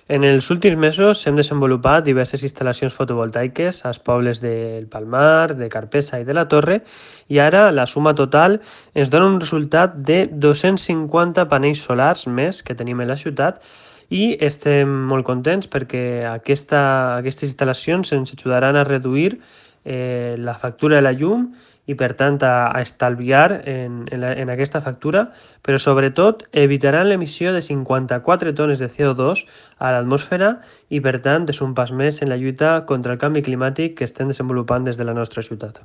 En els últims mesos hem desenvolupat diverses instal·lacions fotovoltaiques als pobles del Palmar, de Carpessa i de la Torre i ara la suma total ens dona un resultat de 250 panells solars més que tenim a la ciutat i estem molt contents perquè aquestes instal·lacions ens ajudaran a reduir la factura de la llum i per tant a estalviar en aquesta factura, però sobretot evitaran l'emissió de 54 tones de CO2 a l'atmosfera i per tant és un pas més en la lluita contra el canvi climàtic que estem desenvolupant des de la nostra ciutat.